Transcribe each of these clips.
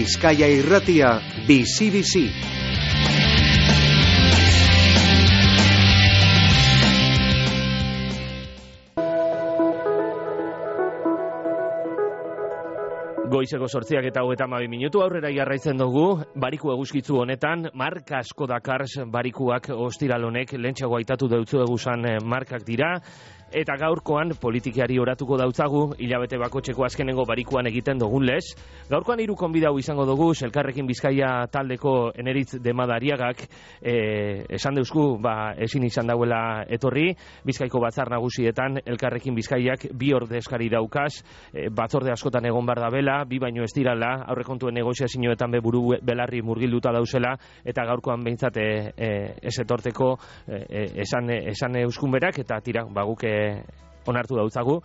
Bizkaia Irratia, bizi-bizi. Goizeko 8:32 minutu aurrera jarraitzen dugu, bariku eguzkitzu honetan, marka asko dakars barikuak ostiral honek, lehentxeago aitatu deutzu eguzan markak dira, eta gaurkoan politikari oratuko dautzagu, hilabete bakotxeko azkenengo barikuan egiten dugun lez. Gaurkoan 3 konbidau izango dugu, Elkarrekin Bizkaia taldeko Eneritz Demadariagak esan deusku, ezin izan dauela etorri, Bizkaiko batzar nagusietan Elkarrekin Bizkaiak 2 ordezkari daukaz, batzorde askotan egon bar dabela, 2 baino ez dirala, aurrekontuen negoziazioetan buru belarri murgilduta dauzela, eta gaurkoan behintzat ez etorteko esan euskun berak, eta tira, guk onartu dautzagu,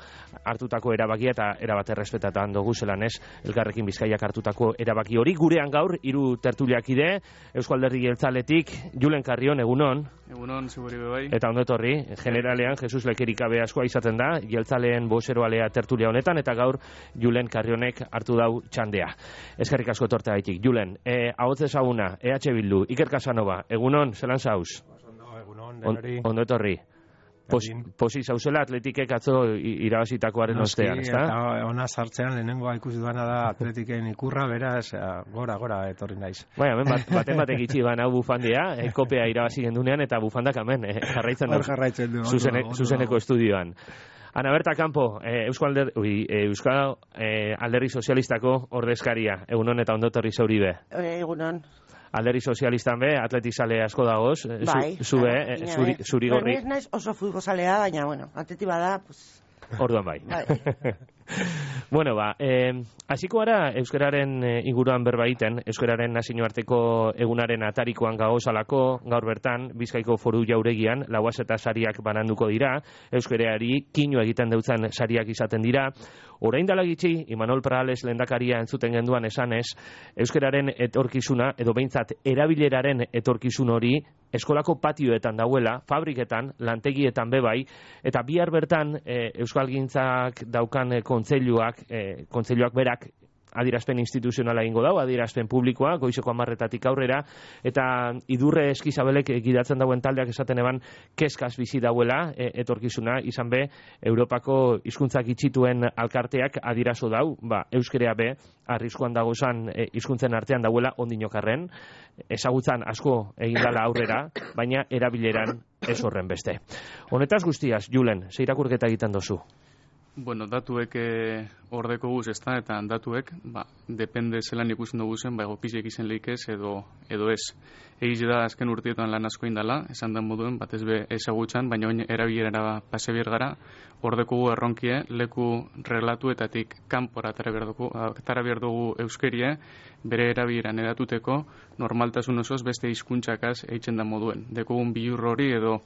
hartutako erabakia eta erabat errespetatan dugu zelan ez, Elkarrekin Bizkaiak hartutako erabaki hori. Gurean gaur, 3 tertuliakide, Eusko Alderdi Jeltzaletik, Julen Carrion, egunon. Egunon, ziguri bebai. Eta ondo etorri, generalean, Jesus Lekerikabe askoa izaten da, Jeltzaleen bozeroalea tertulia honetan, eta gaur Julen Carrionek hartu dau txandea. Eskerrik asko etortea haitik. Julen, ahotz ezaguna, EH Bildu, Iker Casanova, egunon, zelan zauz? Egunon, denori. Ondo etorri. Posi zauzela Atletikek atzo irabazitakoaren ostean, ezta? Eta ona sartzean lehenengoa ikusi duana da Atletiken ikurra, beraz, gora etorri naiz. Baina, batek itxi hau bufandia, kopea irabazi gendunean, eta bufandak hemen jarraitzen du zuzeneko estudioan. Ana Berta Campo, Euskal Alderdi Sozialistako ordezkaria, egunon eta ondo etorri zauribe. Egunon. Alderdi Sozialistan be, atletizale asko dagoz, zuri gorri. Ez naiz oso futbolzalea, baina, atleti bada, pues... Orduan bai. Bueno, hasiko gara euskararen inguruan berbaiten, euskararen nazioarteko egunaren atarikoan gagozalako, gaur bertan, Bizkaiko Foru Jauregian, lauaz eta sariak bananduko dira, euskarari kino egiten deutzen sariak izaten dira. Orain dela gitxi, Imanol Prales lehendakaria entzuten genduan esanez, euskararen etorkizuna, edo behintzat erabileraren etorkizun hori, eskolako patioetan dauela, fabriketan, lantegietan bebai, eta bihar bertan euskalgintzak daukan kontseiluak berak adierazpen instituzionala egingo dau, adierazpen publikoa, goizeko 10:00 aurrera, eta Idurre Eskizabelek gidatzen dauen taldeak esaten eban kezkaz bizi dauela etorkizuna, izan be, Europako hizkuntzak itxituen alkarteak adierazo dau, euskera be, arriskuan dagozan hizkuntzen artean dauela ondinokarren, ezagutzan asko egin dala aurrera, baina erabileran ez horren beste. Honetaz guztiaz, Julen, ze irakurketa egiten dozu? Bueno, datuek ordeko guz, ezta, eta datuek, depende zelan ikusten dugu zen, egokiziek izen leikez edo ez. Egiz da azken urteetan lan asko indala, esan da moduen, batez be ezagutzen, baina oin erabilerara pase bier gara, ordeko gu erronkie, leku reglatuetatik kanpora atara behar dugu euskerie, bere erabileran edatuteko, normaltasun osoz beste hizkuntzakaz eitzen da moduen. Dekogun bilur hori edo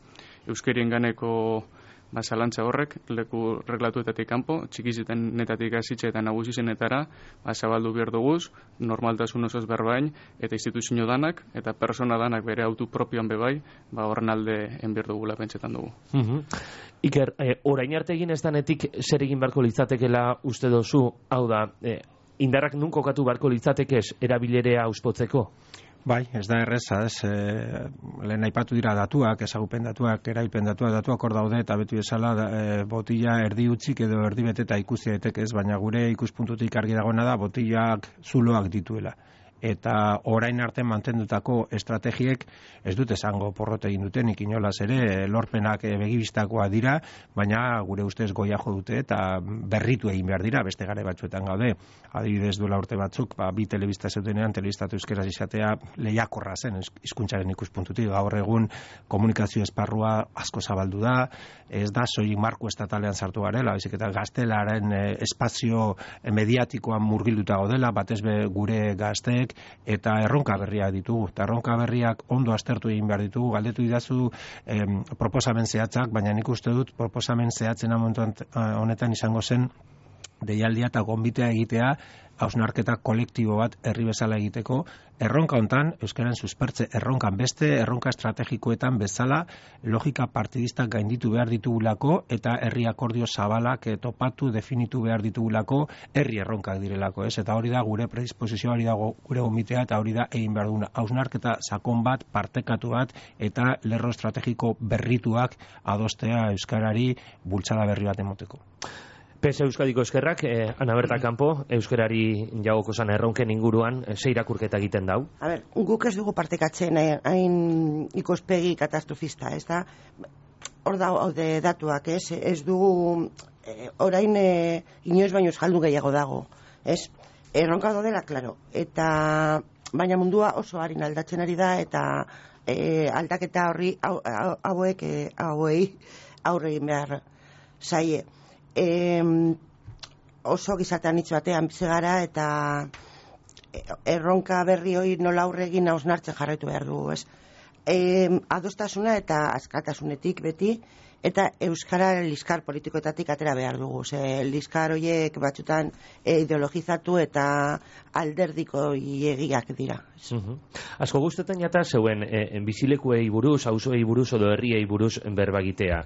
euskerien ganeko zalantza horrek, leku reglatuetatik kanpo, txikizitenetatik hasitxe eta nagusizenetara, zabaldu behar duguz, normaltasun osoz berbain, eta instituzio danak, eta persona danak bere autu propioan bebai, horren alde enbier dugula pentsetan dugu. Iker, orain arte egin ez danetik zer egin barko litzatekela uste dozu, hau da, indarrak nun kokatu barko litzatekez erabilerea auspotzeko? Bai, ez da erreza, lehen aipatu dira datuak, ezagupen datuak, erabilpen datuak hor daude, eta betu esala botila erdi utzik edo erdi beteta ikusi daiteke ez, baina gure ikuspuntutik argi dagoena da botilak zuloak dituela. Eta orain arte mantendutako estrategiek ez dut esango porrot egin dutenik inolaz ere, lorpenak begibistakoa dira, baina gure ustez goia jo dute eta berritu egin behar dira, beste gare batzuetan gaude. Adibidez duela urte batzuk, 2 telebista zeudenean, telebistatu euskeraz izatea lehiakorra zen hizkuntzaren ikuspuntutik. Gaur egun komunikazio esparrua asko zabaldu da, ez da soilik marko estatalean sartu garela, baizik eta gaztelaren espazio mediatikoan murgilduta gaudela, batez be gure gazteek, eta erronka berriak ditugu. Eta erronka berriak ondo aztertu egin behar ditugu, galdetu idazu proposamen zehatzak, baina nik uste dut proposamen zehatzen honetan izango zen deialdia eta gonbitea egitea hausnarketa kolektibo bat herri bezala egiteko, erronka hontan, euskararen suspertze erronkan beste, erronka estrategikoetan bezala, logika partidistak gainditu behar ditugulako, eta herri akordio zabalak topatu, definitu behar ditugulako, herri erronkak direlako, ez? Eta hori da gure predisposizioa, hori da gure gomitea, eta hori da egin behar duguna. Hausnarketa sakon bat, partekatu bat, eta lerro estrategiko berrituak adostea euskarari bultzada berri bat emoteko. PS Euskadiko eskerrak, Ana Berta Campo, euskarari jagoko zan erronken inguruan, ze irakurketa egiten dau? A ber, guk ez dugu partekatzen hain ikuspegi katastrofista, ez da? Hor daude datuak, ez? Ez dugu, orain inoiz baino eskaldu gehiago dago, ez? Erronka daudela, klaro, eta baina mundua oso harin aldatzen ari da, eta aldaketa horri hauei aurre egin behar zaie. Oso gizatean hitz batean bizi gara eta erronka berri hori nola aurre egin hausnartzen jarraitu behar dugu, ez? Adostasuna eta askatasunetik beti, eta euskara liskar politikoetatik atera behar dugu. Liskar horiek batzutan ideologizatu eta alderdiko egiak dira. Asko gustetan jata zeuen bizilekuei buruz, auzoei buruz edo herriei buruz berbagitea.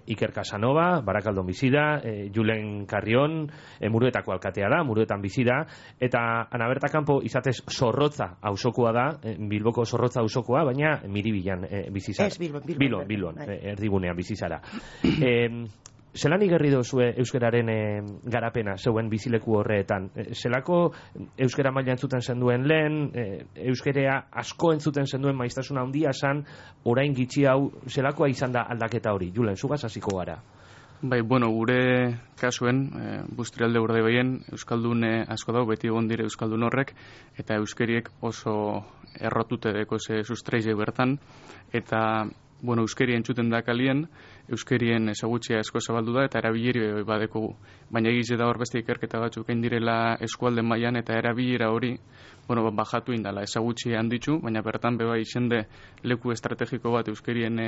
Iker Casanova, Barakaldon bizi da, Julen Carrion, Muruetako alkatea da, Muruetan bizi da, eta Ana Berta Campo izatez Zorrotza auzokoa da, Bilboko Zorrotza auzokoa, baina Miribilan bizi zara. Ez, Bilbon, erdigunean bizi zara. Zelan igerri dozue euskararen garapena zeuen bizileku horretan? Zelako euskara maila entzuten zenduen lehen, euskarea asko entzuten zenduen maiztasuna handia zan, orain gitxi hau, zelakoa izan da aldaketa hori? Julen, zugaz hasiko gara. Bai, bueno, gure kasuen, Bustrialde Urdaibaien euskaldun asko dago, beti egon dire euskaldun horrek, eta euskeriek oso errotute deko ze sustreize bertan, eta bueno, euskeri entzuten da kalien, euskerien ezagutzia asko zabaldu da eta erabilera badekogu. Baina egize da hor beste ikerketa batzuk egin direla eskualde mailan eta erabilera hori, bueno, bajatu indala, ezagutzia handitzu, baina bertan beba izende leku estrategiko bat euskerien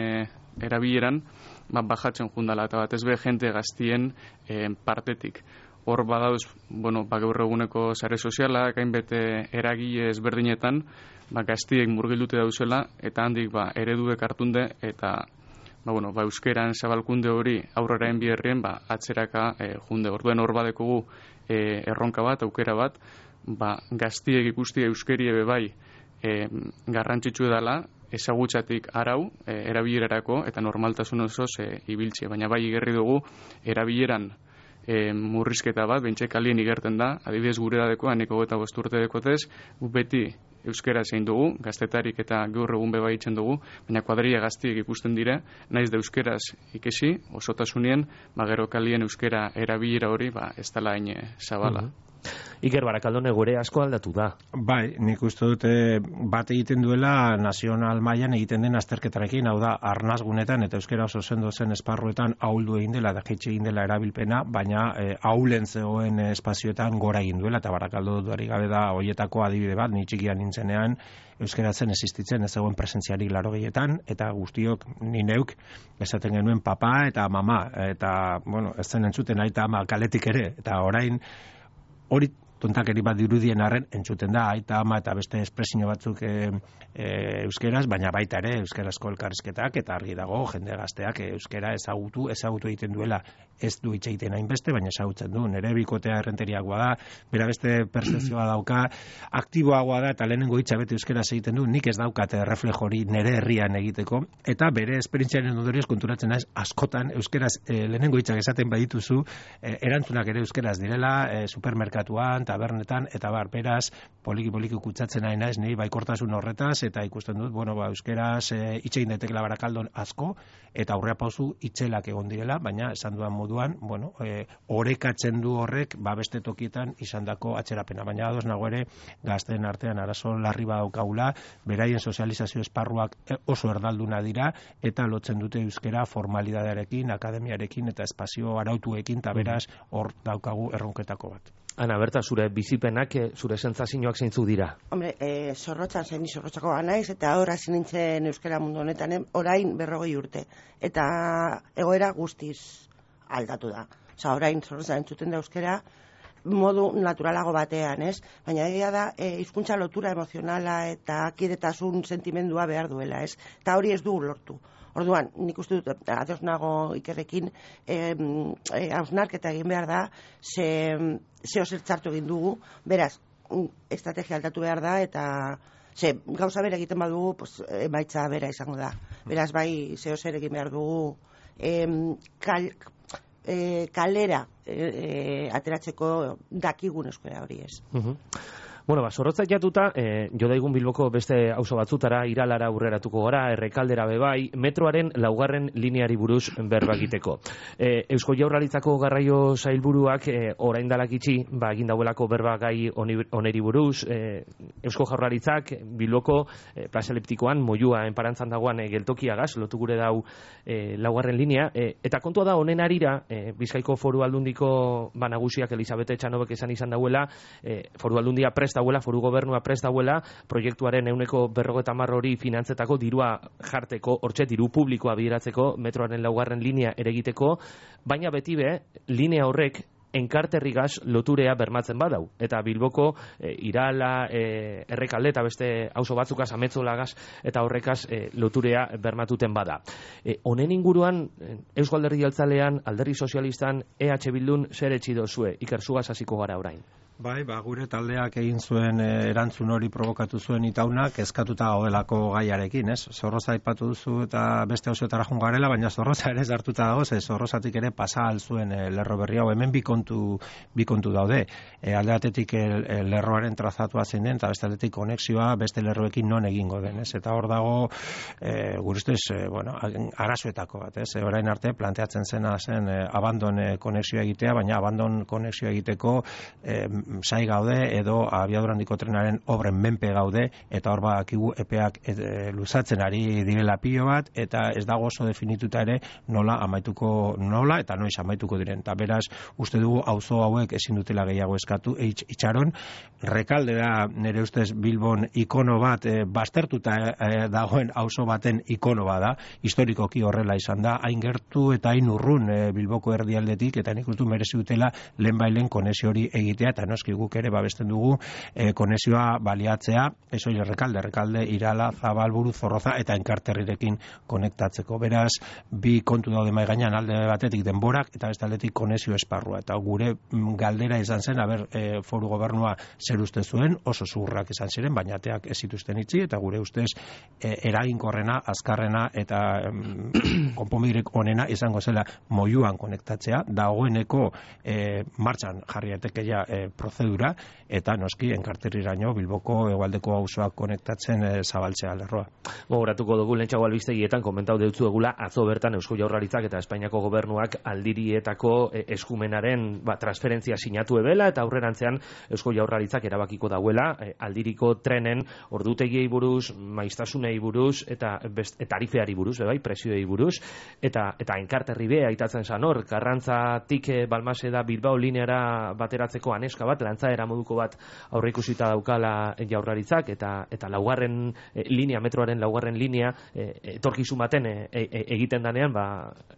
erabileran, bajatzen jundala eta batez be jente gaztien partetik. Hor badauz, bueno, gaur eguneko sare sozialak, hainbete eragile ezberdinetan, gaztiek murgildute dauzela, eta handik ereduek hartunde, eta euskeran zabalkunde hori aurrera enbierrien, atzeraka junde. Orduen hor badekogu erronka bat, aukera bat, gaztiek ikusti euskerie bebai garrantzitsu edala, ezagutzatik arau, erabilerarako, eta normaltasun osoz ibiltzie. Baina bai igerri dugu, erabileran murrizketa bat, bentsa kalien igerten da, adibidez gure dadeko, aneko eta 5 urte dekotez, beti euskera zein dugu, gaztetarik eta gaur egun beba itzen dugu, baina kuadrilla gaztiek ikusten dire, naiz da euskeraz ikesi, osotasunien, gero kalien euskera erabilera hori, ez dela hain zabala. Iker, Barakaldone gure asko aldatu da. Bai, nik uste dute bat egiten duela nazional mailan egiten den azterketarekin, hau da, arnazgunetan eta euskera oso sendo zen esparruetan ahuldu egin dela, da jaitxe egin dela erabilpena, baina ahulen zegoen espazioetan gora egin duela, eta Barakaldo duari gabe da hoietako adibide bat, ni txikian nintzenean, euskera zen existitzen, ez zegoen presentziarik 80etan, eta guztiok, ni neuk, esaten genuen papa eta mama, eta, bueno, ez zen entzuten aita ama kaletik ere, eta orain, hori tontakeri bat dirudien arren entzuten da, aita ama eta beste espresio batzuk euskeraz, baina baita ere euskarazko elkarrizketak eta argi dago jende gazteak euskera ezagutu egiten duela, ez du hitz egiten hainbeste, baina ezagutzen du, nire bikotea errenteriagoa da, bera beste percepzioa dauka, aktiboagoa da eta lehenengo hitza bete euskaraz egiten du, nik ez daukate reflejo hori nire herrian egiteko, eta bere esperientziaren ondorioz konturatzen naiz askotan euskaraz lehenengo hitzak esaten badituzu, erantzunak ere euskaraz direla, supermerkatuan, tabernetan, eta beraz, poliki kutsatzen nahi naiz, ni baikortasun horretaz, eta ikusten dut, euskeraz itxegin daitekela Barakaldon asko, eta aurrea pauzu itxelak egon direla, baina esan duan moduan, orekatzen du horrek, beste tokietan izandako atzerapena, baina ados nago ere, gazteen artean arazo larri badaukagula, beraien sozializazio esparruak oso erdalduna dira, eta lotzen dute euskera formalidadearekin, akademiarekin, eta espazio arautuekin, eta beraz, hor daukagu erronketako bat. Ana Berta, zure bizipenak, zure sentsazioak zeintzu dira? Hombre, Zorrotzan zen, Zorrotzako naiz, eta hor hasi nintzen euskara mundu honetan, orain 40 urte. Eta egoera guztiz aldatu da. orain Zorroza entzuten da euskera, modu naturalago batean, ez? Baina egia da, hizkuntza lotura emozionala eta kidetasun sentimendua behar duela, ez? Eta hori ez dugu lortu. Orduan, nik uste dut, ados nago Ikerrekin, hausnarketa egin behar da, ze osertzartu egin dugu, beraz, estrategia aldatu behar da, eta gauza bera egiten badugu, emaitza bera izango da. Beraz, bai, ze oser egin behar dugu, kalera ateratzeko dakigun euskara hori ez. Bueno, Zorrotza jatuta, jo daigun Bilboko beste auzo batzutara, Iralara aurreratuko gara, Errekaldera bebai, metroaren 4. lineari buruz berba egiteko. Eusko Jaurlaritzako garraio sailburuak orain dalak itxi, egin dauelako berba gai oneri buruz, Eusko Jaurlaritzak Bilboko plaza eliptikoan, moyua enparantzan dagoan geltokiagaz, lotu gure dau 4. linea, eta kontua da honen arira, Bizkaiko Foru Aldundiko nagusiak Elisabete Etxanobek esan izan dauela, Foru Aldundia prest dauela, Foru Gobernua prest dauela, proiektuaren 150 hori finantzetako dirua jarteko, hortxe diru publikoa bideratzeko, metroaren 4. linea eregiteko, baina beti linea horrek enkarterrigaz loturea bermatzen badau. Eta Bilboko Irala, Errekalde eta beste auzo batzukaz, Ametzolagaz eta horrekaz loturea bermatuten bada. Honen inguruan, Eusko Alderdi Jeltzalean, Alderdi Sozialistan, EH Bildun zer etxi dozue? Iker, zugaz hasiko gara orain. Bai, gure taldeak egin zuen erantzun hori provokatu zuen itaunak eskatuta gaudelako gaiarekin, ez? Zorroza aipatu duzu eta beste auzoetara joan garela, baina Zorroza ere hartuta dago, Zorrozatik ere pasa al zuen lerro berri hau. Hemen bi kontu daude. Alde batetik lerroaren trazatua zein den, eta beste aldetik konexioa beste lerroekin non egingo den, ez? Eta hor dago, gure ustez, arazoetako bat, ez? Orain arte planteatzen zena zen abandon konexioa egitea, baina abandon konexioa egiteko sai gaude edo abiadura handiko trenaren obren menpe gaude, eta hor bakigu epeak luzatzen ari direla pilo bat, eta ez dago oso definituta ere nola eta noiz amaituko diren. Eta beraz, uste dugu auzo hauek ezin dutela gehiago eskatu itxaron. Rekaldera nire ustez Bilbon ikono bat baztertuta dagoen auzo baten ikono bada, historikoki horrela izan da, hain gertu eta hain urrun Bilboko erdialdetik, eta nik uste merezi dutela lehenbailen konexio hori egitea, eta noski guk ere babesten dugu konexioa baliatzea, eso Errekalde, Irala, Zabalburu, Zorroza eta Enkarterrirekin konektatzeko. Beraz, bi kontu daude mahai gainean, alde batetik denborak eta beste aldetik konexio esparrua. Eta gure galdera izan zen, Foru Gobernua zer uste zuen, oso zurrak izan ziren, baina ateak ez zituzten itxi, eta gure ustez eraginkorrena, azkarrena eta konponbiderik onena izango zela moyuan konektatzea, dagoeneko martxan jarri daitekeia prozedura, eta noski Enkarterriraino Bilboko hegoaldeko auzoak konektatzen zabaltzea lerroa. Gogoratuko dugu lehentxago albistegietan komentau deutzu egula atzo bertan Eusko Jaurlaritzak eta Espainiako Gobernuak aldirietako eskumenaren transferentzia sinatu ebela, eta aurrerantzean Eusko Jaurlaritzak erabakiko dauela aldiriko trenen ordutegiei buruz, maiztasunei buruz eta tarifeari buruz, presioei buruz, eta Enkarterri be aitatzen zan hor, Karrantzatik Balmase da Bilbao lineara bateratzeko aneska bat, lantzaera moduko bat aurreikusita daukala Jaurlaritzak, eta 4. linea, metroaren 4. linea etorkizun baten egiten danean,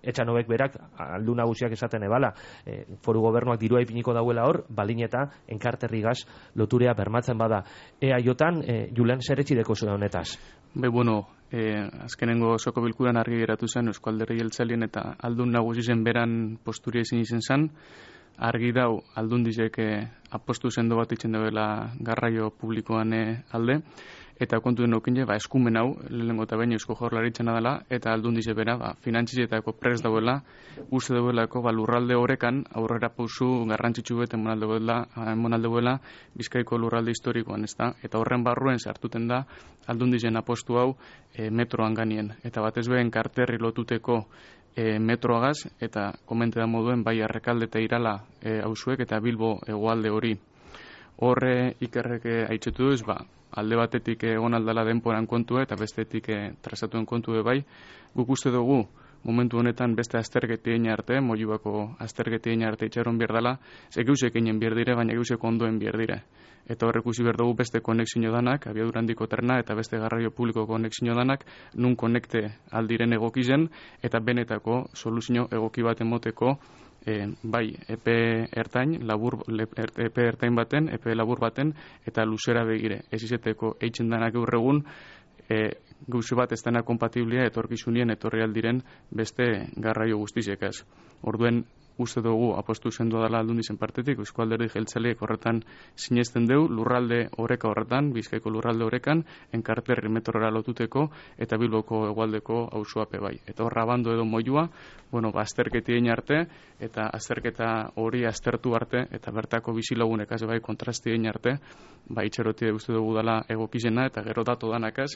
Etxanobek berak aldu nagusiak esaten ebala, Foru Gobernuak dirua ipiniko dauela hor, balin eta Enkarterrigaz loturea bermatzen bada. Jotan, Julen, zer etxideko zuen honetaz? Azkenengo osoko bilkuran argi geratu zen Eusko Alderdi Jeltzalean eta aldun nagusi zen beran posturia ezin izen zen, argi dau aldundizek apostu sendo bat itzen dela garraio publikoan alde, eta kontu den okine, eskumen hau, lehenengo eta baino Eusko Jaurlaritzana dela, eta aldundize bera, finantzizetako prest dauela, uste dauelako, lurralde horrekan, aurrera pausu garrantzitsu bet emonalde duela Bizkaiko lurralde historikoan, ezta? Eta horren barruen sartuten da, aldundizen apostu hau metroan ganien. Eta batez behen Enkarterri lotuteko metroagaz, eta komente da moduen, bai Errekalde eta Irala auzuek eta Bilbo hegoalde hori. Horre Ikerrek aitzetu duz, alde batetik egon aldala denporan kontua eta bestetik trazatuen kontu bai, guk uste dugu momentu honetan beste aztergetien arte, moiubako aztergetien arte itxaron bierdala, ze geusek egin bierdire, baina geusek ondoen bierdire. Eta horrek usi behar dugu beste konexio danak, abiadura handiko trena eta beste garraio publiko konexio danak, nun konekte aldiren egokizen, eta benetako soluzio egoki bat emoteko bai epe ertain, epe ertain baten, epe labur baten, eta luzera begire. Ez izeteko eitzen danak gaur egun, gauzu bat ez dena kompatiblia etorkizunien etorri aldiren beste garraio guztizekaz. Orduen, uste dugu apostu sendua dela Aldundizen partetik, Eusko Alderdi Jeltzaleek horretan sinesten deu, lurralde oreka horretan, Bizkaiko lurralde orekan, enkarterri metrora lotuteko, eta Bilboko hegoaldeko auzoape bai. Eta horra bando edo moilua, azterketi egin arte, eta azterketa hori aztertu arte, eta bertako bizilagunek az bai kontrasti egin arte, itxerotie uste dugu dela egokizena, eta gero datu danakaz,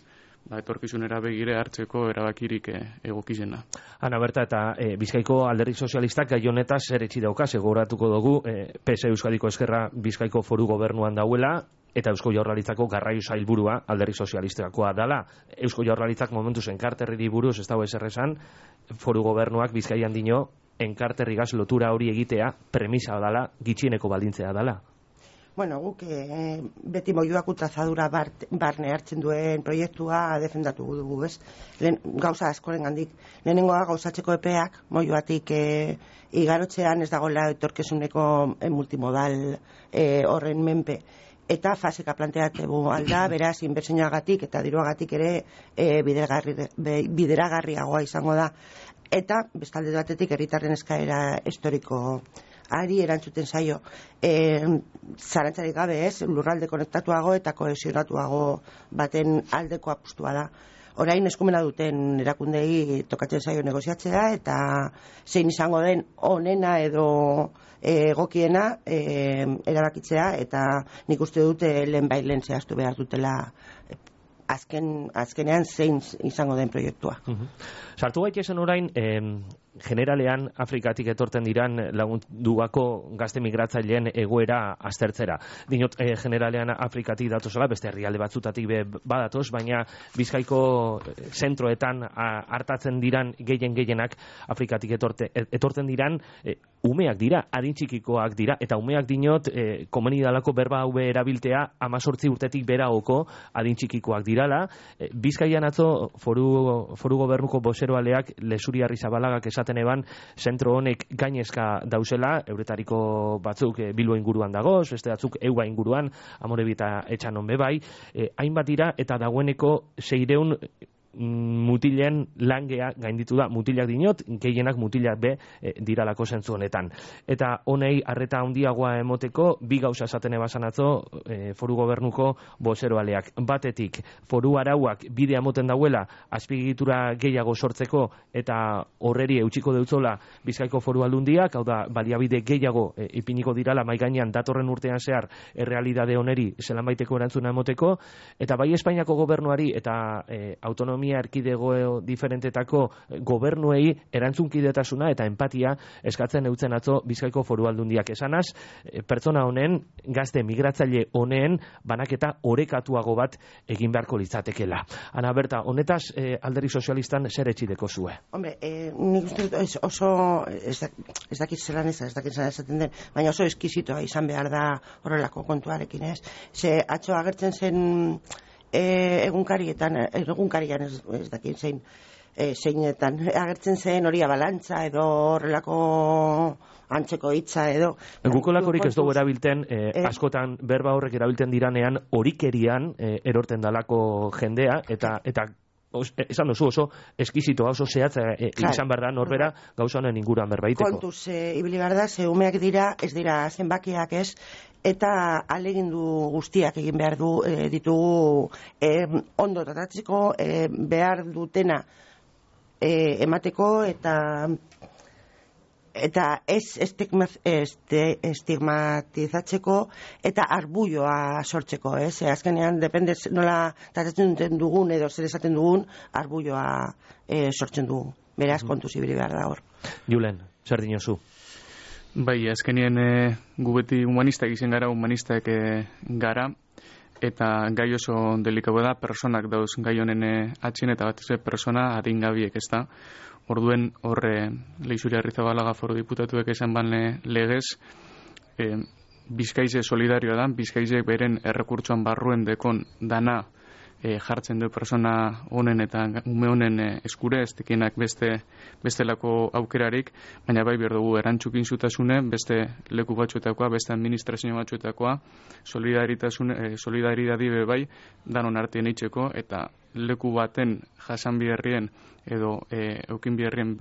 etorkizunera begire hartzeko erabakirik egokizena. Ana Berta, eta Bizkaiko Alderdi Sozialistak gai honetaz zer etxi daukaz, gogoratuko dugu, PS Euskadiko Ezkerra Bizkaiko Foru Gobernuan dauela, eta Eusko Jaurlaritzako garraio sailburua Alderdi Sozialistakoa dala. Eusko Jaurlaritzak momentuz enkarterriri buruz ez dago ezer esan, Foru Gobernuak Bizkaian dino enkarterrigaz lotura hori egitea premisa dala, gitxieneko baldintzea dala. Bueno, guk beti moioak utrazadura barne hartzen duen proiektua defendatu dugu, ez? Gauza askoren gandik. Lehenengoa gauzatzeko epeak, moioatik igarotzean ez dagoela etorkezuneko multimodal horren menpe. Eta faseka planteategu alda, beraz, inbertsioagatik eta diruagatik ere bideragarriagoa izango da. Eta, bestalde batetik, herritarren eskaera historiko ari erantzuten zaio. Zarantzarik gabe ez, lurralde konektatuago eta kohesionatuago baten aldeko apustua da. Orain eskumena duten erakundei tokatzen zaio negoziatzea eta zein izango den onena edo egokiena erabakitzea, eta nik uste dute lehen zehaztu behar dutela azkenean zein izango den proiektua. Sartu gaitezen orain, generalean Afrikatik etorten diran lagunduako gazte migratzaileen egoera aztertzera. Dinot, generalean Afrikatik datozela, beste herrialde batzutatik badatoz, baina Bizkaiko zentroetan hartatzen diran gehienak Afrikatik etorten diran umeak dira, adintxikikoak dira, eta umeak dinot, komunidalako berba hau erabiltea 18 urtetik beraoko adintxikikoak dirala. Bizkaian atzo foru gobernuko bozeroaleak Lesuri Arrizabalaga esaten eban, zentro honek gainezka dauzela, euretariko batzuk Bilbo inguruan dagoz, beste batzuk Eua inguruan, Amorebi eta Etxanon bebai, hainbat dira, eta dagoeneko 600 mutilen langea gainditu da, mutilak dinot, gehienak mutilak diralako zentzu honetan. Eta honei arreta handiagoa emoteko, bi gauza esaten ebasan atzo foru gobernuko bozeroaleak. Batetik, foru arauak bidea moten dauela, azpiegitura gehiago sortzeko, eta horreri eutxiko deutzola Bizkaiko Foru Aldundiak, hau da, baliabide gehiago ipiniko dirala maigainean datorren urtean zehar errealidade honeri zelan baiteko erantzuna emoteko, eta bai Espainiako gobernuari eta autonomia erkidego diferentetako gobernuei erantzunkidetasuna eta empatia eskatzen eutzen atzo Bizkaiko Foru Aldundiak. Esanaz, pertsona honen, gazte migratzaile honen banaketa orekatuago bat egin beharko litzatekela. Ana Berta, honetaz Alderdi Sozialistan zer etxideko zue? Hombre, nik uste oso ez dakit zelan esaten den, baina oso eskizitoa izan behar da horrelako kontuarekin, ez? Ze atzo agertzen zen egunkarian ez dakit zeinetan agertzen zen hori abalantza edo horrelako antzeko hitza edo gukolakorik ez dugu erabilten askotan berba horrek erabilten diranean horikerian erorten dalako jendea eta esan duzu oso eskizitoa, oso zehatza izan behar da norbera gauza honen inguruan berbaiteko. Kontuz, ibili behar da, ze umeak dira, ez dira zenbakiak ez, eta alegindu guztiak egin behar ditugu ondo tratatzeko, behar dutena emateko eta ez estigmatizatzeko eta arbulloa sortzeko, ez? Azkenean, depende nola tratatzen dugun edo zer esaten dugun, arbulloa sortzen dugu. Beraz, kontuz ibili behar da hor. Julen, zer dinozu? Bai, azkenien gu beti humanistak izen gara, humanistak gara, eta gai oso delikago da, personak dauz gai honen atxin, eta bat ez persona adingabiek, ez da. Orduen horre Leixuri Arrizabalaga Foru Diputatuek esan ban legez, Bizkaize solidarioa da, Bizkaizek beren errekurtsoan barruen dekon dana jartzen du persona honen eta ume honen eskure, ez dekienak bestelako aukerarik, baina bai behar dugu erantzukin zutasune, beste leku batzuetakoa, beste administrazio batzuetakoa, solidaridadi bai, danon artean eitzeko, eta leku baten jasan biherrien edo eukin biherrien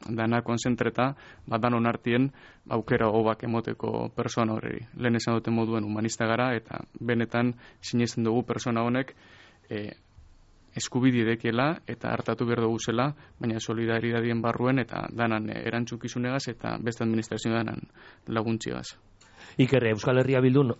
dana konzentreta, danon artien aukera hobak emoteko persona horri. Lehen esan duten moduen humanista gara, eta benetan sinesten dugu persona honek eskubide dekiela eta hartatu behar dugu zela, baina solidaridadien barruen eta danan erantzukizunegaz eta beste administrazio danan laguntziagaz. Iker, Euskal Herria Bildun,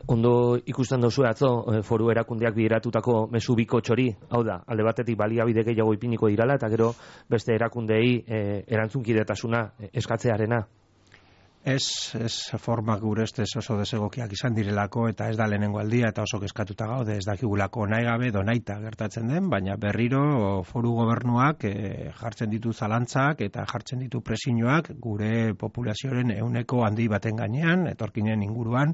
ondo ikusten duzu atzo foru erakundeak bideratutako mezu bikotxori, hau da, alde batetik baliabide gehiago ipiniko dirala, eta gero beste erakundei erantzunkidetasuna eskatzearena. Ez formak gure ustez oso desegokiak izan direlako eta ez da lehenengo aldia eta oso kezkatuta gaude, ez dakigulako nahi gabe donaita gertatzen den, baina berriro foru gobernuak jartzen ditu zalantzak eta jartzen ditu presioak gure populazioaren ehuneko handi baten gainean, etorkinen inguruan,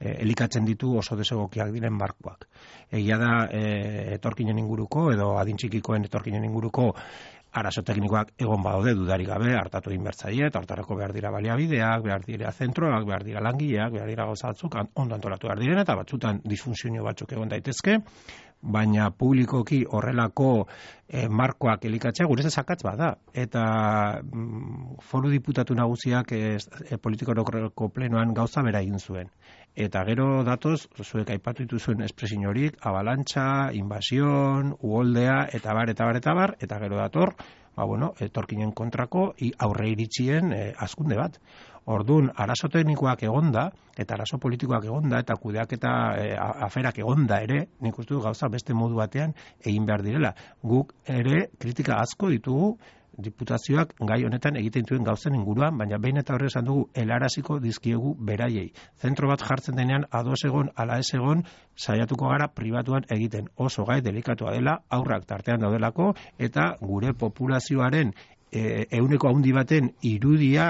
elikatzen ditu oso desegokiak diren markoak. Egia da etorkinen inguruko edo adintxikikoen etorkinen inguruko arazo teknikoak egon badaude dudarik gabe hartatu egin bertzaile, eta hortarako behar dira baliabideak, behar dira zentroak, behar dira langileak, behar dira gauza batzuk ondo antolatu behar diren, eta batzutan disfunzio batzuk egon daitezke, baina publikoki horrelako markoak elikatzea gure zakatz bada. Eta foru diputatu nagusiak politikorako plenoan gauza bera egin zuen. Eta gero datoz, zuek aipatu dituzuen espresio horik, abalantxa, invasion, uholdea, eta bar, eta gero dator, etorkinen kontrako aurre iritzien hazkunde bat. Orduan, arazo teknikoak egonda, eta arazo politikoak egonda, eta kudeaketa aferak egonda ere, nik uste du gauza beste modu batean egin behar direla. Guk ere kritika asko ditugu diputazioak gai honetan egiten duen gauzen inguruan, baina behin eta horre esan dugu helaraziko dizkiegu beraiei. Zentro bat jartzen denean ados egon, ala ez egon, saiatuko gara pribatuan egiten. Oso gai delikatua dela, aurrak tartean daudelako, eta gure populazioaren ehuneko handi baten irudia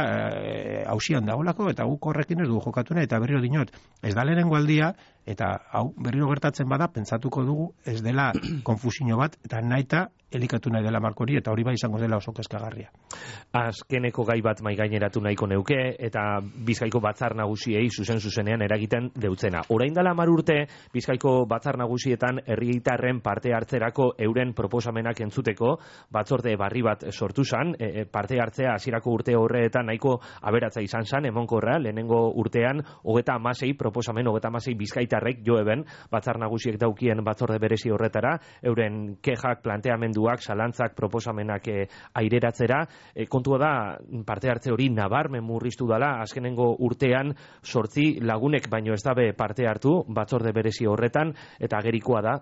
hausian dagoelako, eta guk horrekin ez dugu jokatuna, eta berriro dinot, ez da lehenengo aldia, eta hau berriro gertatzen bada, pentsatuko dugu ez dela konfusio bat, eta nahita elikatu nahi dela markori, eta hori bai izango dela oso kezkagarria. Azkeneko gai bat maigaineratu nahiko neuke, eta Bizkaiko batzar nagusiei zuzenean eragiten deutzena. Orain dela 10 urte, Bizkaiko batzar nagusietan herritarren parte hartzerako euren proposamenak entzuteko batzorde barri bat sortu zan, parte hartzea hasierako urte horretan nahiko aberatza izan zan, emonkorra, lehenengo urtean 36 proposamen, 36 bizkaitarrek jo eben batzar nagusiek daukien batzorde berezi horretara, euren kexak, planteamenduak, zalantzak, proposamenak aireratzera. Kontua da, parte hartze hori nabarmen murriztu dela, azkenengo urtean 8 lagunek baino ez dabe parte hartu batzorde berezi horretan, eta agerikoa da,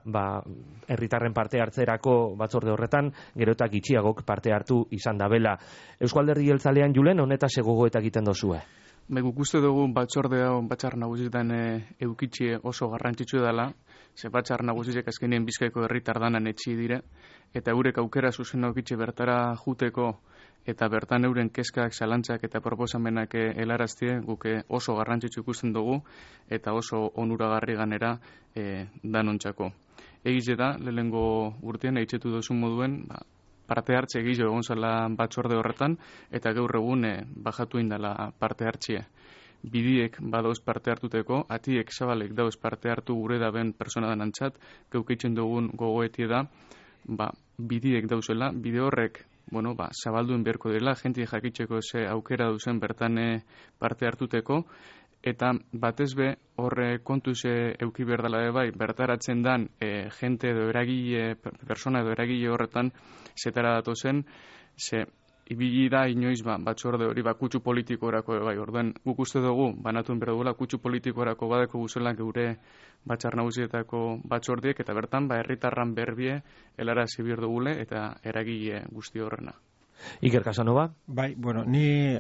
herritarren parte hartzerako batzorde horretan, gero eta gitxiagok parte hartu izan dabela. Eusko Alderdi Jeltzalean Julen, honetaz gogoeta egiten dozue? Guk uste dugu batzorde hau batzar nagusietan eukitxe oso garrantzitsu dela, ze batzar nagusiek azkenien Bizkaiko herritar danan etxi dire, eta eurek aukera zuzen eukitxe bertara juteko, eta bertan euren kezkak, zalantzak eta proposamenak helaraztie, guk oso garrantzitsu ikusten dugu, eta oso onuragarri ganera danontzako. Egize da, lehenengo urtean eitzetu duzun moduen, parte hartze gehiago egon zela batzorde horretan, eta gaur egun bajatu indala parte hartzea. Bidiek badauz parte hartuteko, atiek zabalek dauz parte hartu gure daben persona danantzat, geukeitzen dugun gogoetie da, bidiek dauzela, bide horrek, zabalduen beharko dela, jenti jakitzeko ze aukera duzen bertan parte hartuteko, eta batez be horre kontuz euki berdala bai, bertaratzen dan jente edo eragile, persona edo eragile horretan zetara datozen, ze ibili da inoiz batzorde hori kutsu politikorako bai, orduan guk uste dugu, banatuen behar dugula kutsu politikorako badeko guzela geure batzar nagusietako batzordiek, eta bertan herritarran berbie helarazi behar dugule eta eragile guzti horrena. Iker Casanova? Bai, ni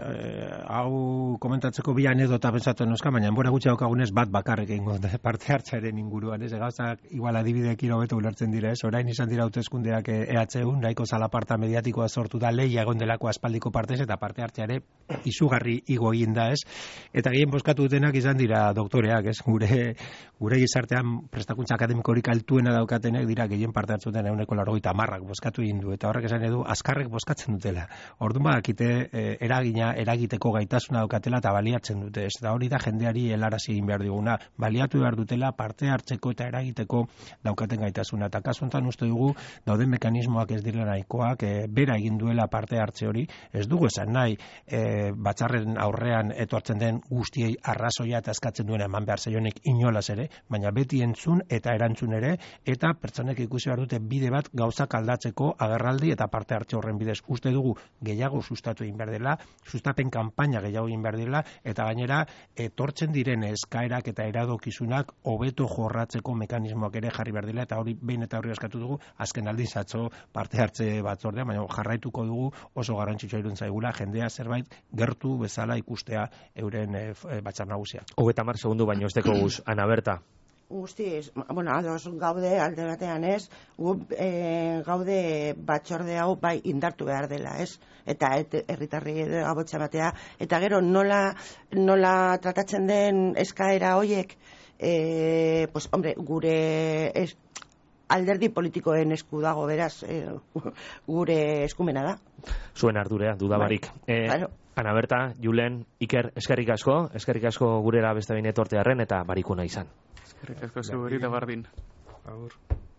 hau komentatzeko bi anedota pentsatu noska, baina enbora gutxi daukagunez bat bakarrik egingo parte hartzearen inguruan, ez? Gauzak igual adibideekin hobeto ulertzen dira, ez? Orain izan dira hauteskundeak EHU, nahiko zalaparta mediatikoa sortu da, lehia egon delako aspaldiko partez eta parte hartzeare izugarri igo egin da, ez? Eta gehien bozkatu dutenak izan dira doktoreak, ez? Gure gizartean prestakuntza akademikorik altuena daukatenek dira gehien parte hartzuten 90% bozkatu egin du, eta horrek esan edu azkarrek bozkatzen dutela. Orduan badakite eragiteko gaitasuna daukatela eta baliatzen dute. Ez da hori da jendeari helarazi egin behar diguna. Baliatu behar dutela parte hartzeko eta eragiteko daukaten gaitasuna. Eta kasu honetan uste dugu dauden mekanismoak ez direla nahikoak, bera egin duela parte hartze hori. Ez dugu esan nahi batzarren aurrean etortzen den guztiei arrazoia eta eskatzen duena eman behar zaionek inolaz ere, baina beti entzun eta erantzun ere, eta pertsonek ikusi behar dute bide bat gauzak aldatzeko agerraldi eta parte hartze horren bidez. Uste dugu gehiago sustatu egin behar dela, sustapen kanpaina gehiago egin behar dela, eta gainera etortzen diren eskaerak eta eradokizunak hobeto jorratzeko mekanismoak ere jarri behar dela, eta hori behin eta hori eskatu dugu, azken aldiz atzo parte hartze batzordea, baina jarraituko dugu oso garrantzitsua iruditzen zaigula jendea zerbait gertu bezala ikustea euren batzar nagusia. 30 segundu baino ez deko guz, Ana Berta. Guztiz, ados gaude alde batean, ez? Gaude batzorde hau bai indartu behar dela, ez? Eta herritarri gabotza batea, eta gero nola tratatzen den eskaera hoiek, pues hombre, gure alderdi politikoen esku dago, beraz, gure eskumena da. Zuen ardurea, dudabarik. Claro. Ana Berta, Julen, Iker, eskerrik asko gurera beste behin etortearren eta barikuna izan. Eskerrik asko zuri da bardin. Agur.